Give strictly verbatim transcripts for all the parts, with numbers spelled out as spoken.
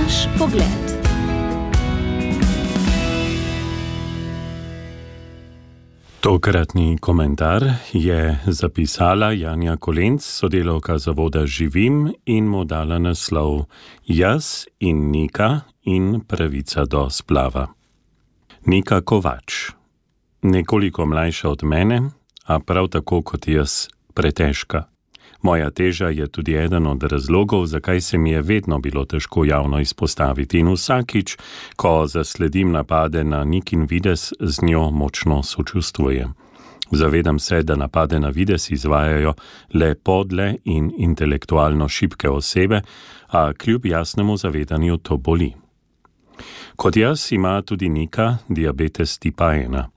Naš pogled. Tokratni komentar je zapisala Janja Kolenc, sodelavka zavoda Živim, in mu dala naslov Jaz in Nika in pravica do splava. Nika Kovač. Nekoliko mlajša od mene, a prav tako kot jaz pretežka. Moja teža je tudi eden od razlogov, zakaj se mi je vedno bilo težko javno izpostaviti, in vsakič, ko zasledim napade na Nikin videz, z njo močno sočustvujem. Zavedam se, da napade na videz izvajajo le podle in intelektualno šibke osebe, a kljub jasnemu zavedanju to boli. Kot jaz ima tudi Nika diabetes tipa ena.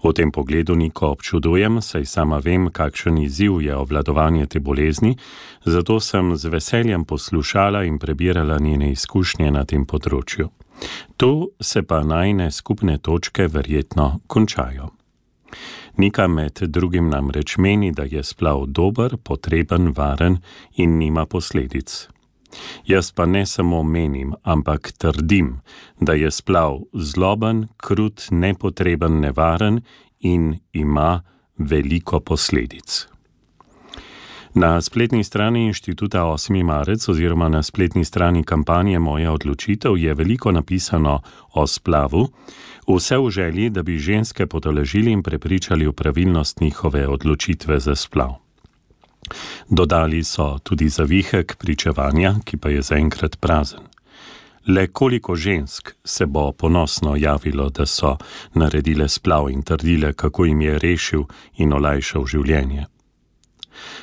V tem pogledu Niko občudujem, saj sama vem, kakšen izziv je obvladovanje te bolezni, zato sem z veseljem poslušala in prebirala njene izkušnje na tem področju. Tu se pa najne skupne točke verjetno končajo. Nika med drugim namreč meni, da je splav dober, potreben, varen in nima posledic. Jaz pa ne samo menim, ampak trdim, da je splav zloben, krut, nepotreben, nevaren in ima veliko posledic. Na spletni strani Inštituta osmi marec oziroma na spletni strani kampanje Moja odločitev je veliko napisano o splavu, vse v želji, da bi ženske potolažili in prepričali v pravilnost njihove odločitve za splav. Dodali so tudi zavihek pričevanja, ki pa je zaenkrat prazen. Le koliko žensk se bo ponosno javilo, da so naredile splav in trdile, kako jim je rešil in olajšal življenje.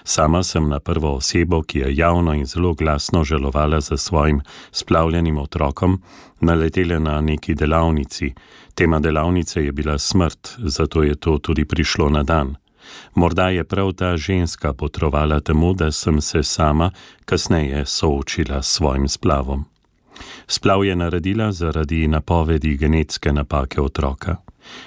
Sama sem na prvo osebo, ki je javno in zelo glasno žalovala za svojim splavljenim otrokom, naletela na neki delavnici. Tema delavnice je bila smrt, zato je to tudi prišlo na dan. Morda je prav ta ženska potrovala temu, da sem se sama kasneje soočila s svojim splavom. Splav je naredila zaradi napovedi genetske napake otroka.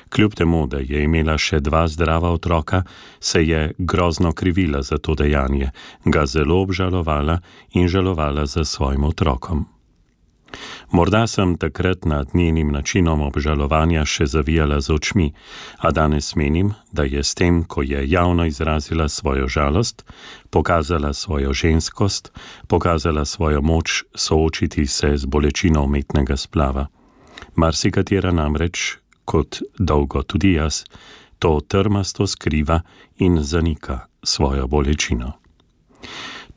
Kljub temu, da je imela še dva zdrava otroka, se je grozno krivila za to dejanje, ga zelo obžalovala in žalovala za svojim otrokom. Morda sem takrat nad njenim načinom obžalovanja še zavijala z očmi, a danes menim, da je s tem, ko je javno izrazila svojo žalost, pokazala svojo ženskost, pokazala svojo moč soočiti se z bolečino umetnega splava. Marsikatera namreč, kot dolgo tudi jaz, to trmasto skriva in zanika svojo bolečino.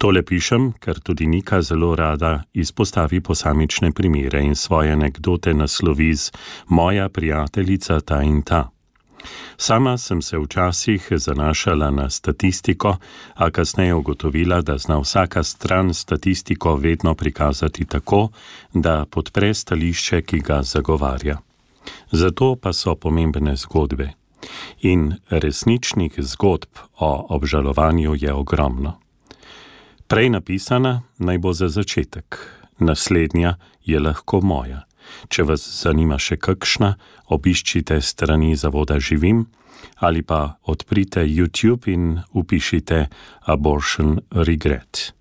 Tole pišem, ker tudi Nika zelo rada izpostavi posamične primere in svoje anekdote naslovi z Moja prijateljica ta in ta. Sama sem se včasih zanašala na statistiko, a kasneje ugotovila, da zna vsaka stran statistiko vedno prikazati tako, da podpre stališče, ki ga zagovarja. Zato pa so pomembne zgodbe. In resničnih zgodb o obžalovanju je ogromno. Prej napisana naj bo za začetek, naslednja je lahko moja. Če vas zanima še kakšna, obiščite strani zavoda Živim ali pa odprite YouTube in upišite Abortion Regret.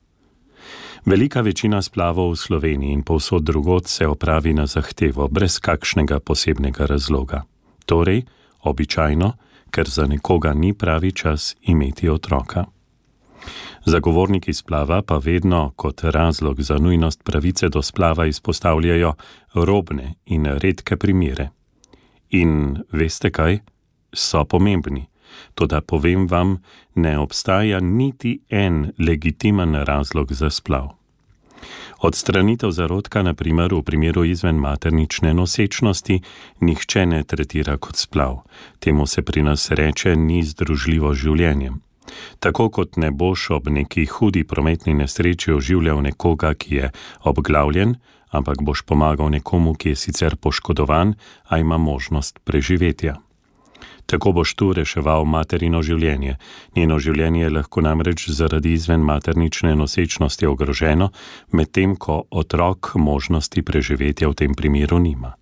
Velika večina splavov v Sloveniji in povsod drugod se opravi na zahtevo, brez kakšnega posebnega razloga. Torej, običajno, ker za nekoga ni pravi čas imeti otroka. Zagovorniki splava pa vedno kot razlog za nujnost pravice do splava izpostavljajo robne in redke primere. In veste kaj? So pomembni. Toda povem vam, ne obstaja niti en legitimen razlog za splav. Odstranitev zarodka, na primer v primeru izvenmaternične nosečnosti, nihče ne tretira kot splav. Temu se pri nas reče ni združljivo z življenjem. Tako kot ne boš ob neki hudi prometni nesreči oživljal nekoga, ki je obglavljen, ampak boš pomagal nekomu, ki je sicer poškodovan, a ima možnost preživetja. Tako boš tu reševal materino življenje. Njeno življenje je lahko namreč zaradi izvenmaternične nosečnosti ogroženo, medtem ko otrok možnosti preživetja v tem primeru nima.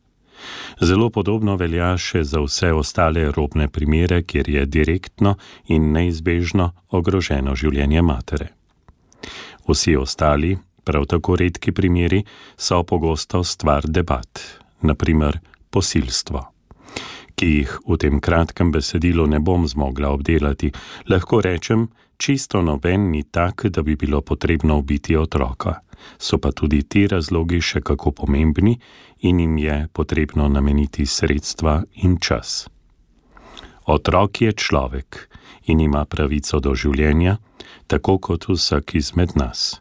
Zelo podobno velja še za vse ostale robne primere, kjer je direktno in neizbežno ogroženo življenje matere. Vsi ostali, prav tako redki primeri so pogosto stvar debat, naprimer posilstvo, ki jih v tem kratkem besedilu ne bom zmogla obdelati. Lahko rečem, čisto noben ni tak, da bi bilo potrebno ubiti otroka. So pa tudi ti razlogi še kako pomembni in jim je potrebno nameniti sredstva in čas. Otrok je človek in ima pravico do življenja, tako kot vsak izmed nas.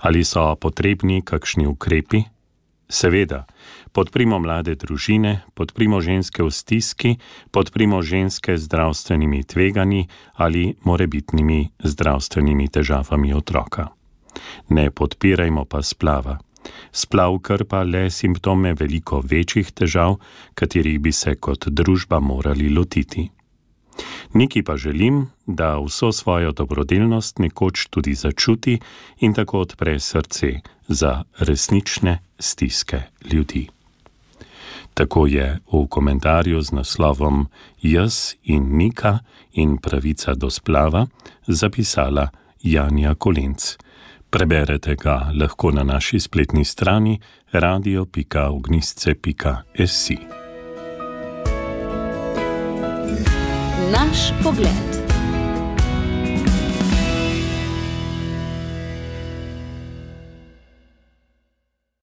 Ali so potrebni kakšni ukrepi? Seveda, podprimo mlade družine, podprimo ženske v stiski, podprimo ženske z zdravstvenimi tveganji ali morebitnimi zdravstvenimi težavami otroka. Ne podpirajmo pa splava. Splav krpa le simptome veliko večjih težav, katerih bi se kot družba morali lotiti. Niki pa želim, da vso svojo dobrodelnost nekoč tudi začuti in tako odpre srce za resnične stiske ljudi. Tako je v komentarju z naslovom Jaz in Nika in pravica do splava zapisala Janja Kolenc. Preberete ga lahko na naši spletni strani radio pika ognjišče pika si. Naš pogled.